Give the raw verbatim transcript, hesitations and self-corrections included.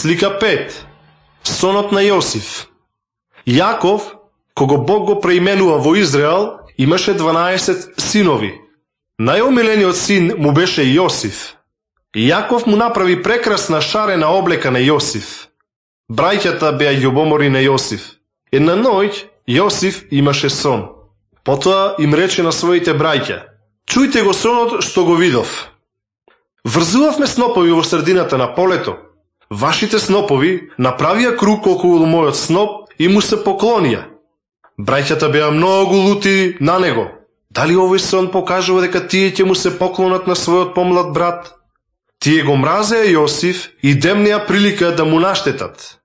Слика пет. Сонот на Јосиф. Јаков, кого Бог го преименува во Израел, имаше дванаесет синови. Најомилениот син му беше Јосиф. Јаков му направи прекрасна шарена облека на Јосиф. Браќата беа љубомори на Јосиф. Една ноќ Јосиф имаше сон. Потоа им рече на своите браќа: чујте го сонот што го видов. Врзувавме снопови во средината на полето. Вашите снопови направија круг околу мојот сноп и му се поклонија. Браќата беа многу лути на него. Дали овој сон покажува дека тие ќе му се поклонат на својот помлад брат? Тие го мразеа Јосиф и демнеа прилика да му наштетат.